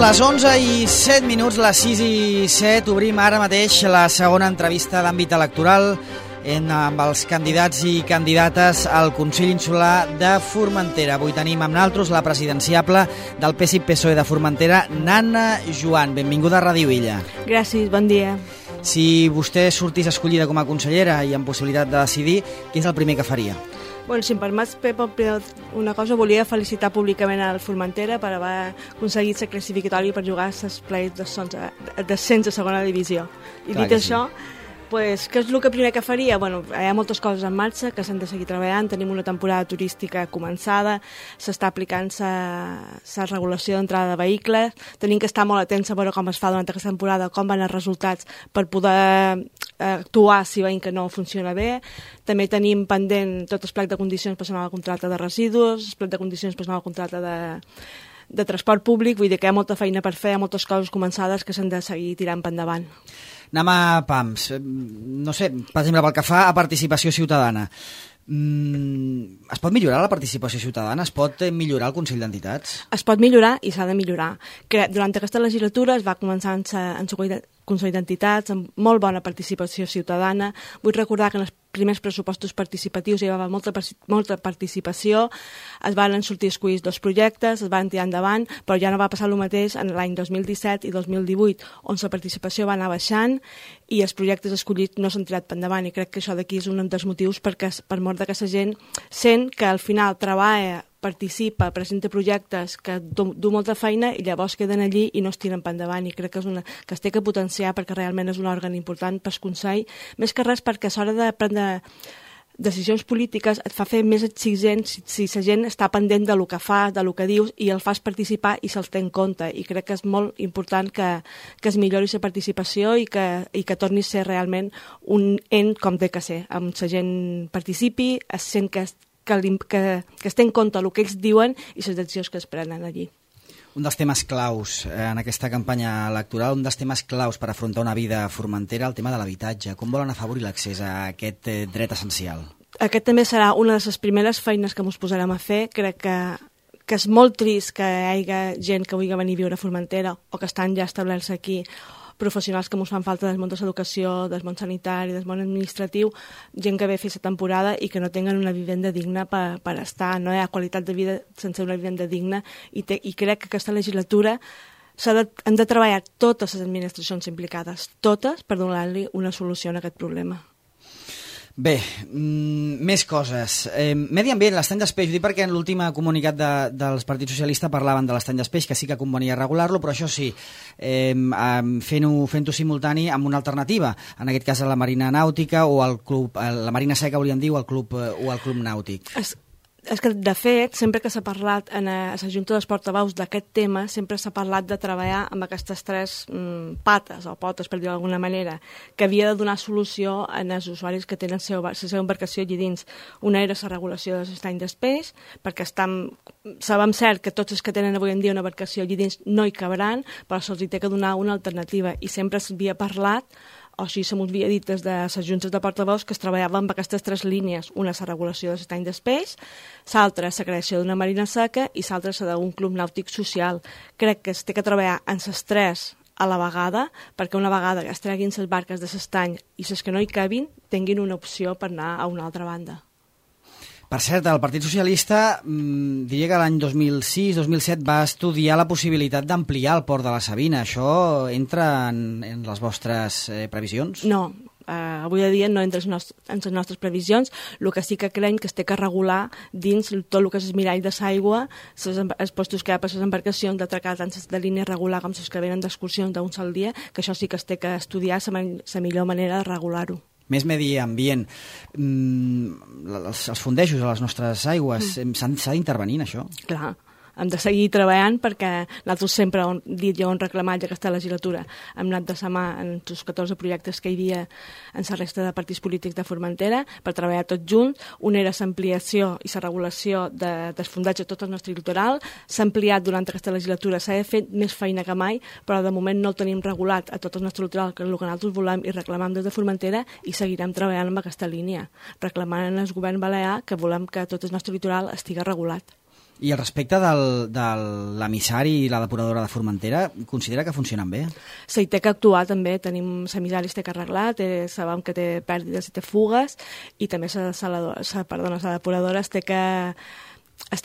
les 11:07, les 6:07, obrim ara mateix la segona entrevista d'àmbit electoral amb els candidats i candidates al Consell Insular de Formentera. Avui tenim amb nosaltres la presidenciable del PSI-PSOE de Formentera, Nanna Joan. Benvinguda a Ràdio Illa. Gràcies, bon dia. Si vostè sortís escollida com a consellera i amb possibilitat de decidir, què és el primer que faria? Bueno, si em permets, Pep, una cosa, volia felicitar públicament al Formentera per haver aconseguit ser classificatori per jugar als play-offs d'ascens a segona divisió. I clar dit això, pues, què és el que primer que faria? Bueno, hi ha moltes coses en marxa que s'han de seguir treballant. Tenim una temporada turística començada, s'està aplicant la regulació d'entrada de vehicles, tenim que estar molt atents a veure com es fa durant aquesta temporada, com van els resultats per poder actuar si veiem que no funciona bé. També tenim pendent tot el plec de condicions per al contracte de residus, el plec de condicions per al contracte de transport públic, vull dir que hi ha molta feina per fer, hi ha moltes coses començades que s'han de seguir tirant per endavant. Anem a PAMS. No sé, per exemple, pel que fa a participació ciutadana. Es pot millorar la participació ciutadana? Es pot millorar el Consell d'Entitats? Es pot millorar i s'ha de millorar. Durant aquesta legislatura es va començar en el Consell d'Entitats amb molt bona participació ciutadana. Vull recordar que en els primers pressupostos participatius hi va haver molta participació, es van sortir escollits 2 projectes, es van tirar endavant, però ja no va passar el mateix en l'any 2017 i 2018, on la participació va anar baixant i els projectes escollits no s'han tirat per endavant, i crec que això d'aquí és un dels motius per mort que la gent sent que al final treballa, participa, presenta projectes que du molta feina i llavors queden allí i no es tiren per endavant, i crec que es té que potenciar perquè realment és un òrgan important pel Consell, més que res perquè a l'hora de prendre decisions polítiques et fa fer més exigent si la gent està pendent de lo que fa, de lo que dius, i el fas participar i se'l té en compte, i crec que és molt important que es millori la participació i que torni a ser realment un ens com té que ser, amb la gent participi, es sent que es té en compte el que ells diuen i les decisions que es prenen allí. Un dels temes claus en aquesta campanya electoral, un dels temes claus per afrontar una vida a Formentera, el tema de l'habitatge. Com volen afavorir l'accés a aquest dret essencial? Aquest també serà una de les primeres feines que ens posarem a fer. Crec que és molt trist que hi hagi gent que vulgui venir a viure a Formentera o que estan ja establerts aquí, professionals que ens fan falta del món de l'educació, del món sanitari, del món administratiu, gent que ve a fer la temporada i que no tenen una vivenda digna per estar. No hi ha qualitat de vida sense una vivenda digna, i crec que aquesta legislatura han de treballar totes les administracions implicades, totes, per donar-li una solució a aquest problema. Bé, més coses. Medi ambient, l'estany d'espeix, ho dic perquè en l'últim comunicat dels partits socialistes parlaven de l'estany d'espeix, que sí que convenia regular-lo, però això sí, fent-ho simultani amb una alternativa, en aquest cas a la Marina Nàutica o al club, la Marina Seca, hauríem dit, o al club nàutic. És que, de fet, sempre que s'ha parlat a la Junta dels Portaveus d'aquest tema, sempre s'ha parlat de treballar amb aquestes 3 pates, o potes, per dir-ho d'alguna manera, que havia de donar solució als usuaris que tenen la seva embarcació allí dins. Una era la regulació de l'estany d'espeix, perquè sabem cert que tots els que tenen avui en dia una embarcació allí dins no hi cabran, però se'ls té que donar una alternativa, i sempre s'havia parlat, o així se m'ho havia dit des de les juntes de portaveus, que es treballava amb aquestes 3 línies. Una és la regulació de l'estany d'espeix, l'altra és la creació d'una marina seca i l'altra és d'un club nàutic social. Crec que es té que treballar en les 3 a la vegada, perquè una vegada que es treguin les barques de l'estany i les que no hi cabin, tinguin una opció per anar a una altra banda. Per cert, el Partit Socialista, diria que l'any 2006-2007 va estudiar la possibilitat d'ampliar el port de la Sabina. Això entra en les vostres previsions? No, avui dia no entra en les nostres previsions. El que sí que creiem que es té que regular dins tot el que és el mirall de l'aigua, els postos que hi ha per les embarcacions, d'atracar tant de línia regular com les que venen d'excursions d'un sol dia, que això sí que es té que estudiar la millor manera de regular-ho. Més medi ambient. Els fondejos a les nostres aigües, s'ha d'intervenir en això? Clar. Hem de seguir treballant perquè nosaltres sempre hem dit i hem reclamat aquesta legislatura. Hem anat de la mà en els 14 projectes que hi havia en la resta de partits polítics de Formentera per treballar tots junts. Una era l'ampliació i la regulació dels fondatges a tot el nostre litoral. S'ha ampliat durant aquesta legislatura, s'ha fet més feina que mai, però de moment no el tenim regulat a tot el nostre litoral, que és el que nosaltres volem i reclamem des de Formentera, i seguirem treballant amb aquesta línia, reclamant al govern balear que volem que tot el nostre litoral estigui regulat. I al respecte de l'emissari i la depuradora de Formentera, considera que funcionen bé? Sí, té que actuar també, tenim l'emissari té que arreglar, sabem que té pèrdides i té fugues, i també la depuradora es té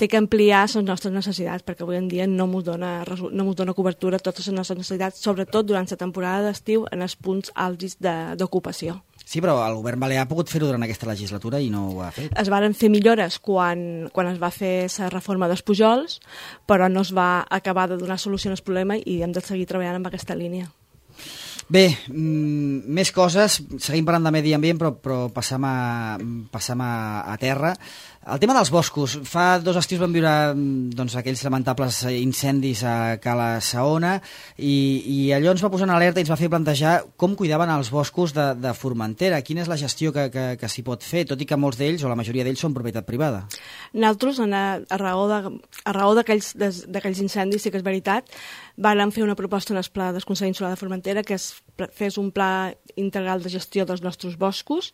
que ampliar les nostres necessitats, perquè avui en dia no ens dona cobertura a totes les nostres necessitats, sobretot durant la temporada d'estiu en els punts àlgids d'ocupació. Sí, però el govern balear ha pogut fer-ho durant aquesta legislatura i no ho ha fet. Es varen fer millores quan es va fer la reforma dels Pujols, però no es va acabar de donar solució al problema i hem de seguir treballant en aquesta línia. Bé, més coses, seguim parlant de medi ambient, però passam a terra. El tema dels boscos. Fa 2 estius vam viure aquells lamentables incendis a Cala Saona i allò ens va posar en alerta i ens va fer plantejar com cuidaven els boscos de Formentera, quina és la gestió que s'hi pot fer, tot i que molts d'ells, o la majoria d'ells, són propietat privada. Nosaltres, a raó d'aquells incendis, sí que és veritat, vam fer una proposta en el Pla del Consell Insular de Formentera que es fes un pla integral de gestió dels nostres boscos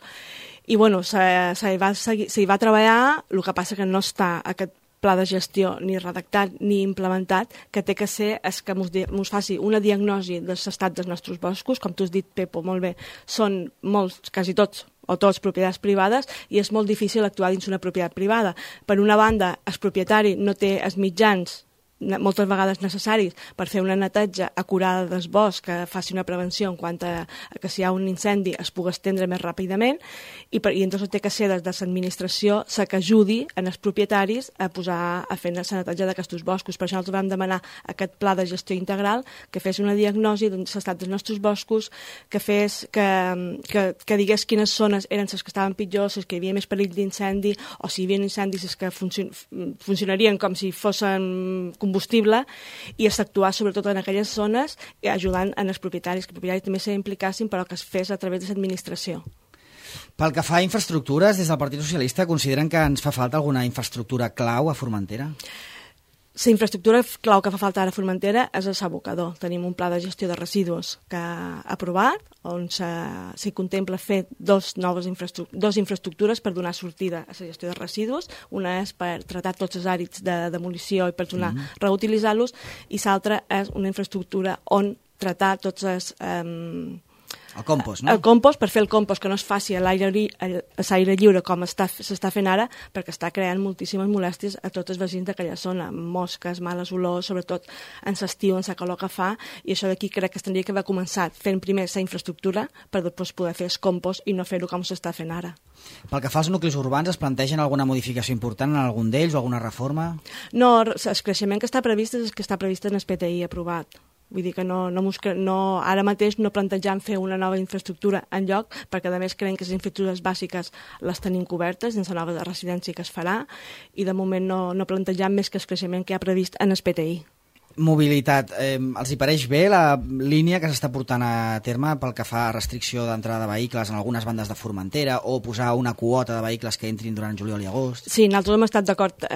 i s'hi va treballar, el que passa que no està aquest pla de gestió ni redactat ni implementat, que té que ser que ens faci una diagnosi de l'estat dels nostres boscos, com tu has dit, Pepo, molt bé, són molts, quasi tots, o tots propietats privades, i és molt difícil actuar dins una propietat privada. Per una banda, el propietari no té els mitjans moltes vegades necessaris per fer una neteja acurada del bosc que faci una prevenció en quant a que si hi ha un incendi es pugui estendre més ràpidament i llavors té que ser des de l'administració la que ajudi els propietaris a fer la neteja d'aquests boscos. Per això nosaltres vam demanar aquest pla de gestió integral que fes una diagnosi de l'estat dels nostres boscos, que digués quines zones eren les que estaven pitjors, les que hi havia més perill d'incendi o si hi havia incendis que funcionarien com si fossin combustible i s'actuar sobretot en aquelles zones ajudant els propietaris, que els propietaris també s'impliquessin però que es fes a través de l'administració. Pel que fa a infraestructures, des del Partit Socialista consideren que ens fa falta alguna infraestructura clau a Formentera? La infraestructura clau que fa falta ara a Formentera és l'abocador. Tenim un pla de gestió de residus que ha aprovat, on s'hi contempla fer dos infraestructures per donar sortida a la gestió de residus. Una és per tratar tots els àrids de demolició i per reutilitzar-los, i l'altra és una infraestructura on tratar tots els... El compost, no? El compost, per fer el compost que no es faci a l'aire lliure com s'està fent ara, perquè està creant moltíssimes molèsties a tots els veïns d'aquella zona, mosques, males olors, sobretot en l'estiu, en la calor que fa, i això d'aquí crec que es tindria que haver començat fent primer la infraestructura per després poder fer el compost i no fer-ho com s'està fent ara. Pel que fa als nuclis urbans, es plantegen alguna modificació important en algun d'ells o alguna reforma? No, el creixement que està previst és el que està previst en el PTI aprovat. Vull dir que ara mateix no plantejam fer una nova infraestructura en lloc, perquè a més creiem que les infraestructures bàsiques les tenim cobertes dins la nova residència que es farà, i de moment no plantejam més que el creixement que hi ha previst en el PTI. Mobilitat. Els hi pareix bé la línia que s'està portant a terme pel que fa a restricció d'entrada de vehicles en algunes bandes de Formentera o posar una quota de vehicles que entrin durant juliol i agost? Sí, nosaltres hem estat d'acord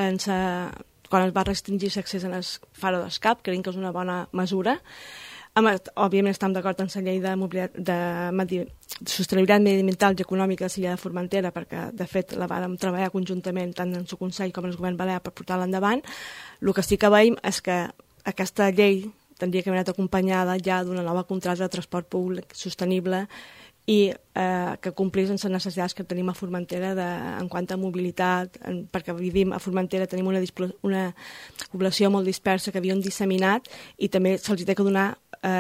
quan es va restringir l'accés en el faro d'escap, creiem que és una bona mesura. Òbviament estem d'acord amb la llei de sostenibilitat mediambiental i econòmica de l'illa de Formentera, perquè de fet la vàrem treballar conjuntament tant en el Consell com en el Govern Balear per portar-la endavant. El que sí que veiem és que aquesta llei tindria que haver anat acompanyada ja d'una nova contracta de transport públic sostenible i que complís amb les necessitats que tenim a Formentera en quant a mobilitat, perquè vivim a Formentera, tenim una població molt dispersa que havíem disseminat i també se'ls ha de donar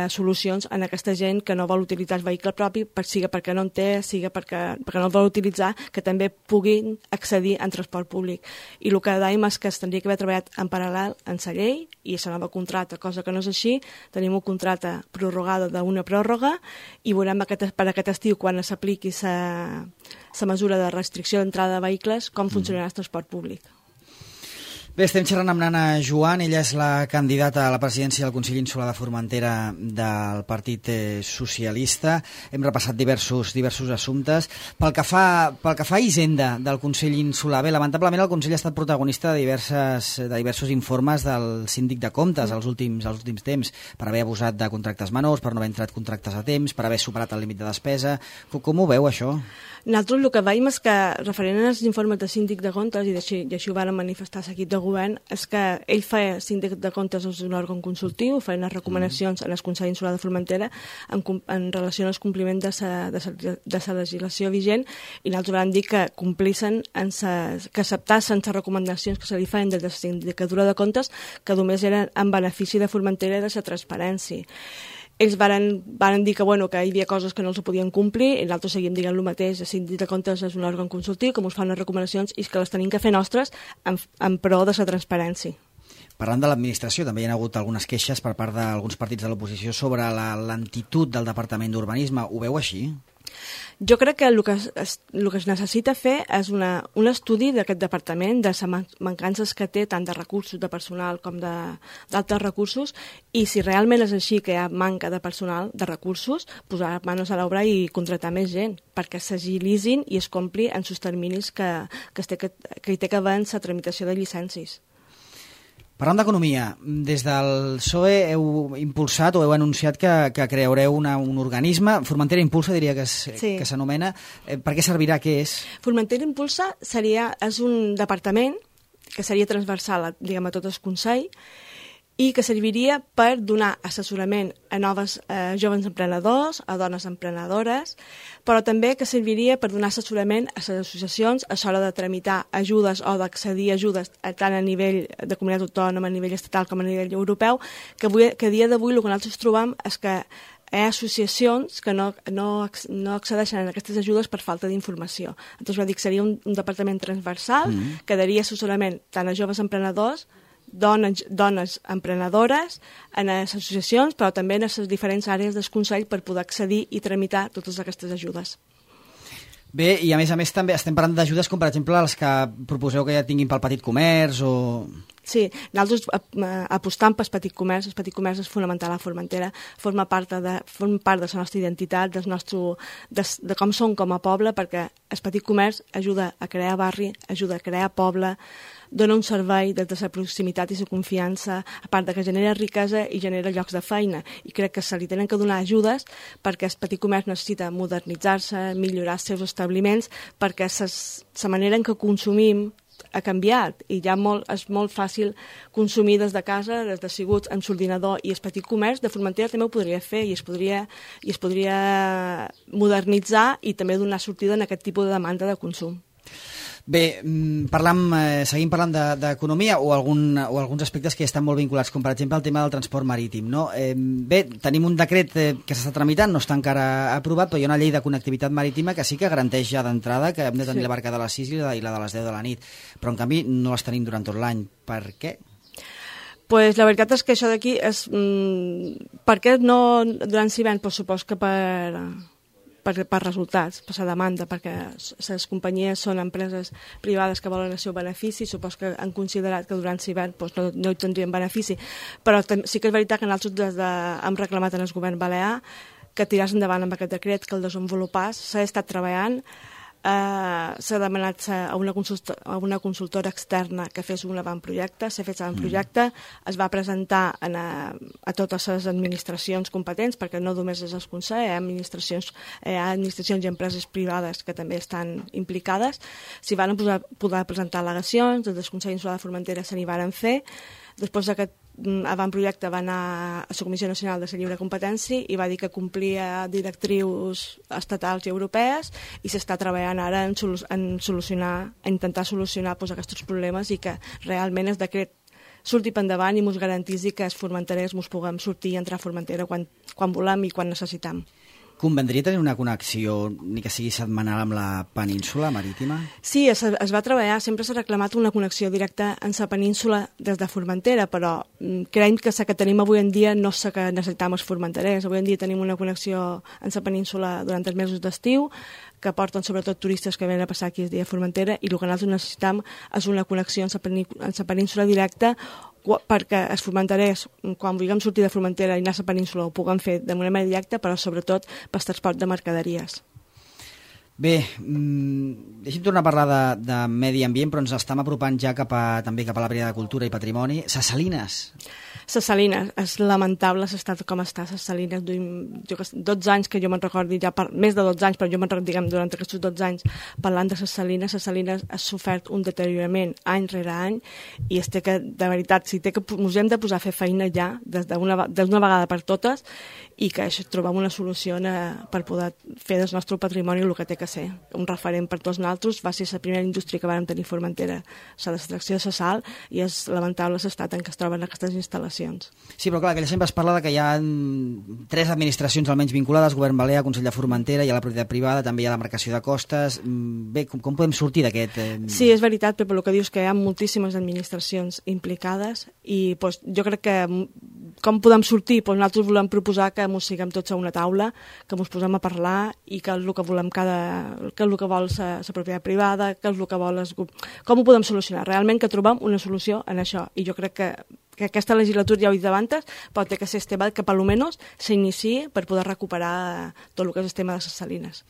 solucions a aquesta gent que no vol utilitzar el vehicle propi, siga perquè no en té, siga perquè no el vol utilitzar, que també puguin accedir en transport públic. I el que dèiem és que es tindria que haver treballat en paral·lel en la llei i la nova contracta, cosa que no és així. Tenim una contracta prorrogada d'una pròrroga i veurem per aquest estiu, quan s'apliqui la mesura de restricció d'entrada de vehicles, com funcionarà el transport públic. Bé, estem xerrant amb Nana Joan, ella és la candidata a la presidència del Consell Insular de Formentera del Partit Socialista. Hem repassat diversos assumptes. Pel que fa a Hisenda del Consell Insular, bé, lamentablement el Consell ha estat protagonista de diversos informes del síndic de comptes als últims temps, per haver abusat de contractes menors, per no haver entrat contractes a temps, per haver superat el límit de despesa. Com ho veu, això? Nosaltres el que veiem és que, referent als informes de síndic de comptes, i així ho van manifestar l'equip de govern és que ell feia síndic de comptes és un òrgan consultiu, feia unes recomanacions en el Consell Insular de Formentera en relació al compliment de la legislació vigent, i nosaltres vam dir que complissin, que acceptassen les recomanacions que se li feien des de la sindicatura de comptes, que només eren en benefici de Formentera i de la transparència. Ells van dir que hi havia coses que no els podien complir, i nosaltres seguim dient el mateix. El síndic de comptes és un òrgan consultiu que ens fa unes recomanacions i que les tenim que fer nostres en pro de la transparència. Parlant de l'administració, també hi ha hagut algunes queixes per part d'alguns partits de l'oposició sobre la lentitud del Departament d'Urbanisme. Ho veu així? Jo crec que el que es necessita fer és un estudi d'aquest departament, de les mancances que té tant de recursos de personal com d'altres recursos, i si realment és així que hi ha manca de personal, de recursos, posar manos a l'obra i contratar més gent, perquè s'agilitzin i es compli en els terminis que hi té que haver en la tramitació de llicències. Parlant d'economia, des del PSOE heu impulsat o heu anunciat que creareu un organisme, Formentera Impulsa diria que s'anomena. Per què servirà? Què és? Formentera Impulsa és un departament que seria transversal a tot el Consell i que serviria per donar assessorament a joves emprenedors, a dones emprenedores, però també que serviria per donar assessorament a les associacions a l'hora de tramitar ajudes o d'accedir a ajudes tant a nivell de comunitat autònoma, a nivell estatal com a nivell europeu, que a dia d'avui el que nosaltres trobem és que hi ha associacions que no accedeixen a aquestes ajudes per falta d'informació. Entonces, va dir que seria un departament transversal que daria assessorament tant a joves emprenedors, dones emprenedores, en les associacions, però també en les diferents àrees del Consell per poder accedir i tramitar totes aquestes ajudes. Bé, i a més també estem parlant d'ajudes com, per exemple, les que proposeu que ja tinguin pel petit comerç o... Sí, nosaltres apostam pel petit comerç. El petit comerç és fonamental a Formentera, forma part de la nostra identitat, de com som com a poble, perquè el petit comerç ajuda a crear barri, ajuda a crear poble, dona un servei des de la proximitat i la confiança, a part que genera riquesa i genera llocs de feina. I crec que se li tenen que donar ajudes perquè el petit comerç necessita modernitzar-se, millorar els seus establiments, perquè la manera en què consumim ha canviat i ja és molt fàcil consumir des de casa, des de sigut amb l'ordinador, i el petit comerç de Formentera també ho podria fer i es podria modernitzar i també donar sortida en aquest tipus de demanda de consum. Bé, seguim parlant d'economia o alguns aspectes que estan molt vinculats, com per exemple el tema del transport marítim, no? Bé, tenim un decret que s'està tramitant, no està encara aprovat, però hi ha una llei de connectivitat marítima que sí que garanteix ja d'entrada que hem de tenir la barca de les 6 i la de les 10 de la nit, però en canvi no les tenim durant tot l'any. Per què? Pues la veritat és que això d'aquí és... Per què no durant l'hivern? Pues supos que per resultats, per la demanda, perquè les companyies són empreses privades que volen el seu benefici, supos que han considerat que durant l'hivern no hi tindrien benefici, però sí que és veritat que nosaltres hem reclamat en el govern balear que tiràs endavant amb aquest decret, que el desenvolupàs, s'ha estat treballant, s'ha demanat a una consultora externa que fes un avantprojecte, s'ha fet l'avantprojecte, es va presentar a totes les administracions competents, perquè no només és el Consell, hi ha administracions i empreses privades que també estan implicades, s'hi van poder presentar al·legacions, des del Consell Insular de Formentera se n'hi van fer. Després d'aquest avantprojecte va anar a la Comissió Nacional de la Lliure Competència i va dir que complia directrius estatals i europees i s'està treballant ara en intentar solucionar aquests problemes i que realment el decret surti per endavant i ens garantisi que els formenterers ens puguem sortir i entrar a Formentera quan volem i quan necessitem. Convendria tenir una connexió, ni que sigui setmanal, amb la península marítima? Sí, es va treballar, sempre s'ha reclamat una connexió directa en la península des de Formentera, però creiem que la que tenim avui en dia no és la que necessitem els formenterers. Avui en dia tenim una connexió en la península durant els mesos d'estiu, que porten sobretot turistes que venen a passar aquí el dia a Formentera, i el que nosaltres necessitem és una connexió en la península directa perquè els formenterers, quan vulguem sortir de Formentera i anar a la península, ho puguem fer de manera directa, però sobretot per transport de mercaderies. Bé, deixem tornar a parlar de medi ambient, però ens estem apropant ja també cap a la Brigada de Cultura i Patrimoni. Ses Salines. Ses Salines, és lamentable l'estat com està Ses Salines. 12 anys que jo me'n recordi, més de 12 anys, però jo me'n recordo, diguem, durant aquests 12 anys parlant de Ses Salines ha sofert un deteriorament any rere any i de veritat, ens hem de posar a fer feina ja, d'una vegada per totes, i que trobem una solució per poder fer del nostre patrimoni el que té que ser. Un referent per tots nosaltres, va ser la primera indústria que vam tenir a Formentera, la l'extracció de la sal, i és lamentable l'estat en què es troben aquestes instal·lacions. Sí, però clar, que sempre es parla que hi ha 3 administracions almenys vinculades, Govern Balear, Consell de Formentera, hi ha la propietat privada, també hi ha la marcació de costes. Bé, com podem sortir d'aquest... Sí, és veritat, però el que dius que hi ha moltíssimes administracions implicades i jo crec que com podem sortir? Nosaltres volem proposar que ens siguem tots a una taula, que ens posem a parlar i que és el que volem que és el que vol la propietat privada, que és el que vol com ho podem solucionar? Realment que trobem una solució en això. I jo crec que aquesta legislatura, ja ho he dit abans, pot ter que ser este que per almenys s'iniciï per poder recuperar tot el que és el tema de les salines.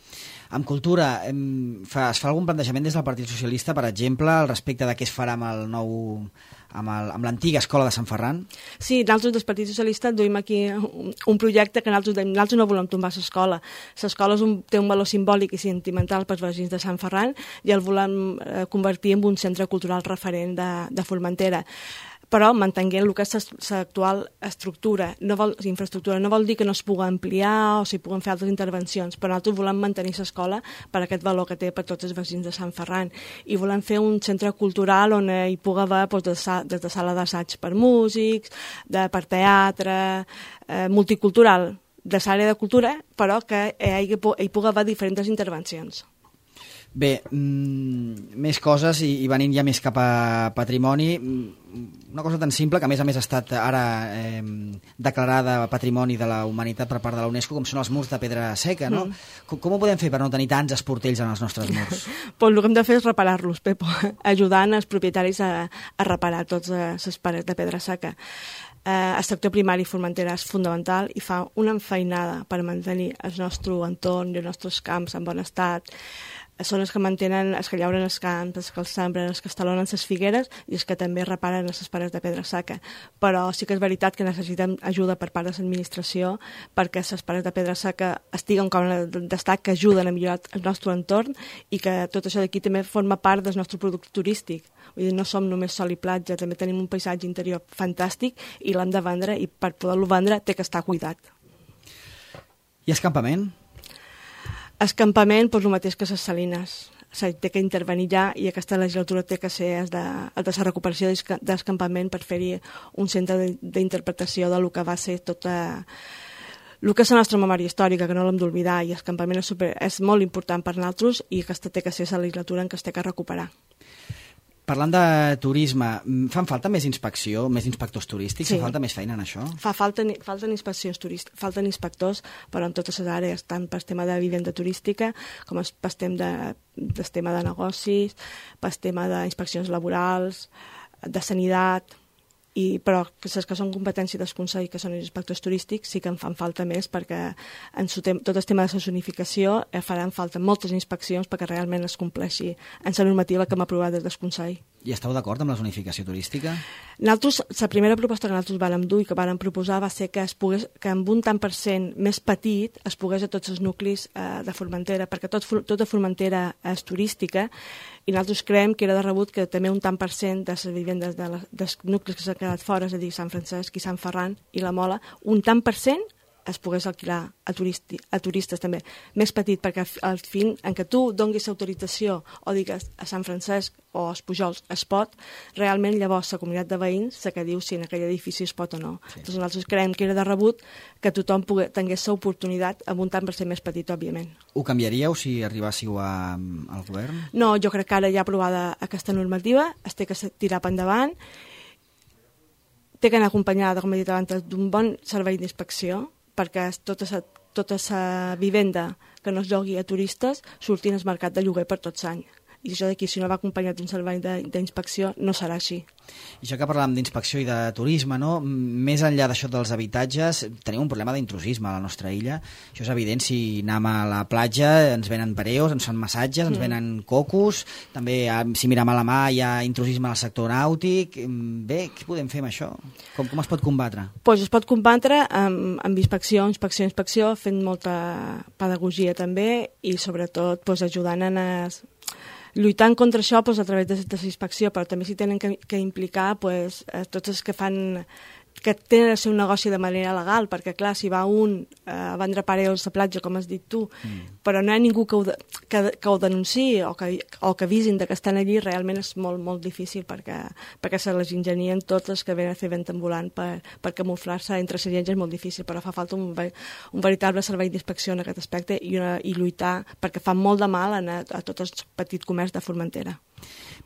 En cultura, es fa algun plantejament des del Partit Socialista, per exemple, al respecte de què es farà amb l'antiga escola de Sant Ferran? Sí, nosaltres del Partit Socialista duim aquí un projecte que nosaltres no volem tombar l'escola. L'escola té un valor simbòlic i sentimental pels veïns de Sant Ferran i el volem convertir en un centre cultural referent de Formentera. Però mantenint el que és l'actual estructura, infraestructura, no vol dir que no es pugui ampliar o s'hi puguen fer altres intervencions, però nosaltres volem mantenir l'escola per aquest valor que té per tots els veïns de Sant Ferran i volem fer un centre cultural on hi pugui haver des de sala d'assaig per músics, per teatre, multicultural, de l'àrea de cultura, però que hi pugui haver diferents intervencions. Bé, més coses i venint ja més cap a patrimoni, una cosa tan simple que a més ha estat ara declarada Patrimoni de la Humanitat per part de la UNESCO, com són els murs de pedra seca, no? Com ho podem fer per no tenir tants esportells en els nostres murs? El que hem de fer és reparar-los, Pepo, ajudant els propietaris a reparar tots les parets de pedra seca. El sector primari Formentera és fundamental i fa una enfeinada per mantenir el nostre entorn i els nostres camps en bon estat. Són els que mantenen, els que llauren els camps, els que els sembren, els que estalonen les figueres i els que també reparen les parets de pedra seca. Però sí que és veritat que necessitem ajuda per part de l'administració perquè les parets de pedra seca estiguen com d'estat, que ajuden a millorar el nostre entorn i que tot això d'aquí també forma part del nostre producte turístic. Vull dir, no som només sol i platja, també tenim un paisatge interior fantàstic i l'hem de vendre i per poder-lo vendre té que estar cuidat. I escampament? Escampament, el mateix que les salines. Té que intervenir ja i aquesta legislatura té que ser de la recuperació d'escampament per fer-hi un centre d'interpretació del que va ser tota el que és la nostra memòria històrica, que no l'hem d'oblidar, i l'escampament és molt important per nosaltres i aquesta té que ser la legislatura en què es té que recuperar. Parlant de turisme, fan falta més inspecció, més inspectors turístics? Sí. Fa falta més feina en això? Falten inspeccions turístiques, falten inspectors, però en totes les àrees, tant per tema de vivenda turística com per tema de negocis, per tema d'inspeccions laborals, de sanitat, però les que són competència del Consell, que són els inspectors turístics, sí que en fan falta més perquè en tot el tema de la zonificació faran falta moltes inspeccions perquè realment es compleixi en la normativa que hem aprovat des del Consell. I esteu d'acord amb la zonificació turística? Nosaltres, la primera proposta que nosaltres vàrem dur i que vàrem proposar va ser que amb un tant per cent més petit es pogués a tots els nuclis de Formentera, perquè tota Formentera és turística i nosaltres creiem que era de rebut que també un tant per cent de les vivendes dels nuclis que s'han quedat fora, és a dir, Sant Francesc i Sant Ferran i la Mola, un tant per cent es pogués alquilar a turistes també, més petit, perquè al fin en què tu donguis autorització o digues a Sant Francesc o als Pujols es pot, realment llavors la comunitat de veïns se que diu si en aquell edifici es pot o no. Sí. Doncs nosaltres creiem que era de rebut que tothom tingués l'oportunitat amb un tant per cent més petit, òbviament. Ho canviaríeu si arribássiu al govern? No, jo crec que ara ja aprovada aquesta normativa es té que tirar per endavant, té que anar acompanyada, com he dit abans, d'un bon servei d'inspecció, perquè tota la vivenda que no es llogui a turistes surti al mercat de lloguer per tots anys. I això d'aquí, si no va acompanyat d'un servei d'inspecció, no serà així. I això que parlàvem d'inspecció i de turisme, no? Més enllà d'això dels habitatges, tenim un problema d'intrusisme a la nostra illa. Això és evident, si anem a la platja ens venen pareos, ens fan massatges, ens venen cocos, també si mirem a la mà hi ha intrusisme al sector nàutic. Bé, què podem fer amb això? Com es pot combatre? Pues es pot combatre amb inspecció, fent molta pedagogia també i sobretot ajudant a lluitant contra això a través de la inspecció, però també s'hi tenen que implicar tots els que tenen el seu negoci de manera legal, perquè clar, si va un a vendre pareos a platja, com has dit tu, però no hi ha ningú que ho denunciï o que avisin que estan allí, realment és molt, molt difícil perquè se les ingenien tots els que venen a fer vent ambulant per camuflar-se entre la gent, és molt difícil, però fa falta un veritable servei d'inspecció en aquest aspecte i lluitar, perquè fa molt de mal a tot el petit comerç de Formentera.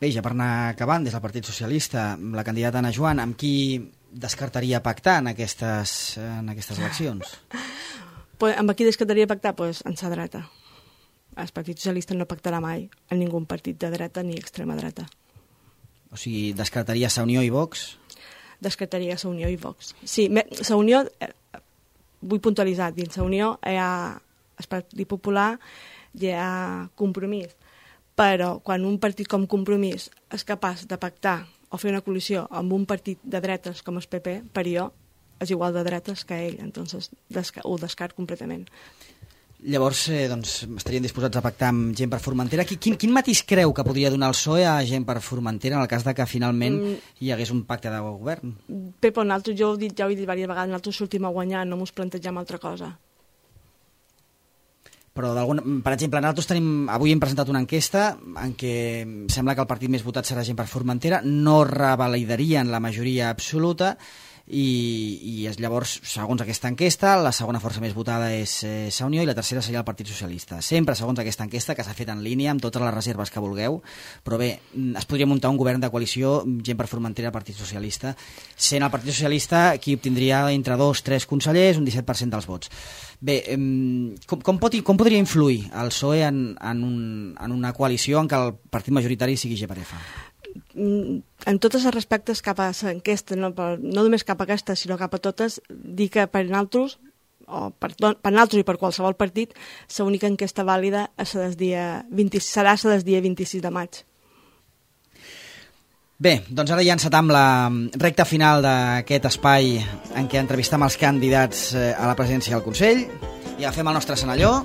Bé, ja per anar acabant, des del Partit Socialista, la candidata Anna Joan, amb qui descartaria pactar en aquestes eleccions? Amb qui descartaria pactar? En sa dreta. El Partit Socialista no pactarà mai en ningú partit de dreta ni extrema dreta. O sigui, descartaria Sa Unió i Vox? Descartaria Sa Unió i Vox. Sí, Sa Unió, vull puntualitzar, dins Sa Unió hi ha el Partit Popular, hi ha Compromís, però quan un partit com Compromís és capaç de pactar o fer una coalició amb un partit de dretes com el PP, per jo és igual de dretes que ell, entonces ho descart completament. Llavors, estarien disposats a pactar amb gent per Formentera. Quin matís creu que podria donar el PSOE a gent per Formentera en el cas de que finalment hi hagués un pacte de govern? Pepo, nosaltres, ja ho he dit diverses vegades, nosaltres sortim a guanyar, no mos plantegem altra cosa. Però, per exemple, nosaltres avui hem presentat una enquesta en què sembla que el partit més votat serà gent per Formentera, no revalidarien la majoria absoluta i llavors, segons aquesta enquesta, la segona força més votada és Sa Unió i la tercera seria el Partit Socialista. Sempre segons aquesta enquesta, que s'ha fet en línia amb totes les reserves que vulgueu, però bé, es podria muntar un govern de coalició gent per Formentera, Partit Socialista, sent el Partit Socialista qui obtindria entre 2-3 consellers, un 17% dels vots. Bé, com podria influir el PSOE en una coalició en què el partit majoritari sigui GPRF? En tots els respectes cap a l'enquesta, no només cap a aquesta, sinó cap a totes, dir que per nosaltres, per nosaltres i per qualsevol partit, l'única enquesta vàlida serà el dia 26 de maig. Bé, doncs ara ja encetam la recta final d'aquest espai en què entrevistam els candidats a la presidència del Consell i agafem el nostre senalló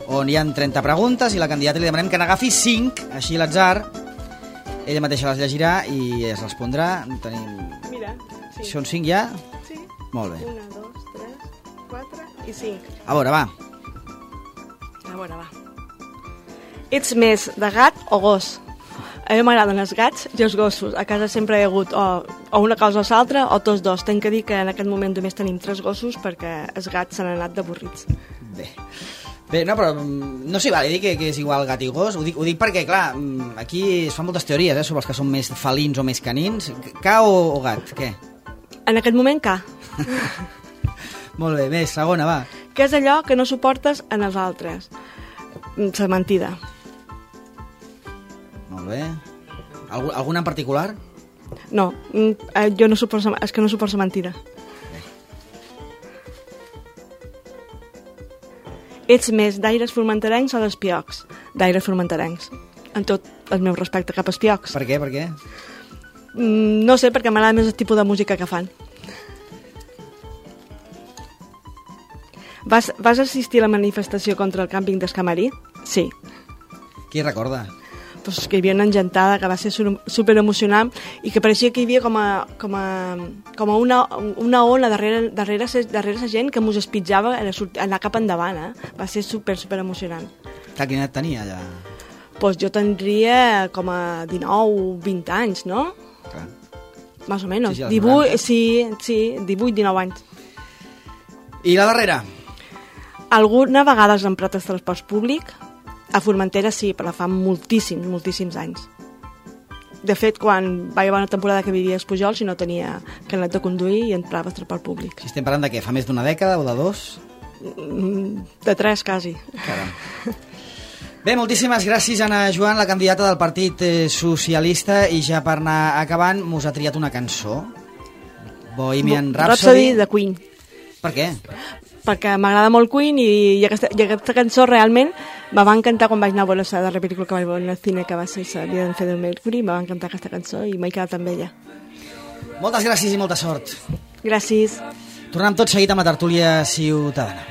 on hi ha 30 preguntes i la candidata li demanem que n'agafi 5, així l'atzar. Ella mateixa les llegirà i es respondrà. Mira, sí. Són 5 ja? Sí. Molt bé. 1, 2, 3, 4 i 5. A veure, va. Ets més de gat o gos? A mi m'agraden els gats i els gossos. A casa sempre hi ha hagut o una cosa o l'altra o tots dos. Tenc que dir que en aquest moment només tenim 3 gossos perquè els gats s'han anat d'avorrits. Bé, no, però no s'hi val dir que és igual gat i gos. Ho dic perquè, clar, aquí es fan moltes teories sobre els que són més felins o més canins. Ca o gat, què? En aquest moment, ca. Molt bé, més, segona, va. Què és allò que no suportes en els altres? La mentida. Molt bé. Alguna en particular? No, jo no suporto, és que no suporto la mentida. Ets més d'aires formenterencs o d'espiocs? D'aires formenterencs. En tot el meu respecte cap a espiocs. Per què? No sé, perquè m'agrada més el tipus de música que fan. Vas assistir a la manifestació contra el càmping d'Escamarí? Sí. Qui recorda? Pues que hi havia una engentada que va ser super emocionant i que pareixia que hi havia com una ona darrere la gent que mos espitjava a anar cap endavant. Va ser super emocionant. Quina edat tenia allà? Pues jo tindria com a 19, 20 anys, no? Clar. Más o menos. Sí, 18, sí, 18, 19 anys. I la darrera? Alguna vegada has emprat el transport públic? A Formentera sí, però fa moltíssims anys. De fet, quan va haver una temporada que vivia a Espujol, si no tenia carnet de conduir i entrava al transport públic. Si estem parlant de què? Fa més d'una dècada o de 2? De 3, quasi. Caram. Bé, moltíssimes gràcies, Anna Joan, la candidata del Partit Socialista, i ja per anar acabant, mos ha triat una cançó, Bohemian Rhapsody de Queen. Per què? Perquè m'agrada molt Queen i aquesta cançó realment me va encantar quan vaig anar a veure la darrera pel·lícula que vaig veure al cine, que va ser La vida de Freddie Mercury. Me va encantar aquesta cançó i m'he quedat amb ella. Moltes gràcies i molta sort. Gràcies. Tornem tot seguit amb la tertúlia ciutadana.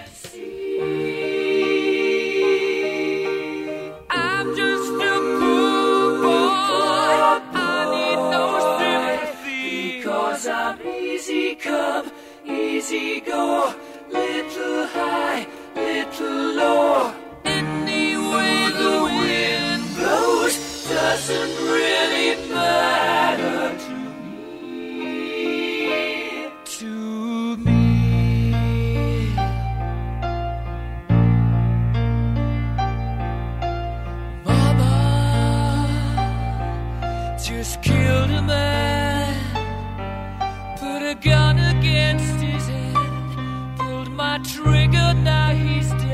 Come, easy go, little high, little low. Any way the wind blows doesn't really matter to me. To me. Mama just killed a man, put a gun against his head, pulled my trigger, now he's dead.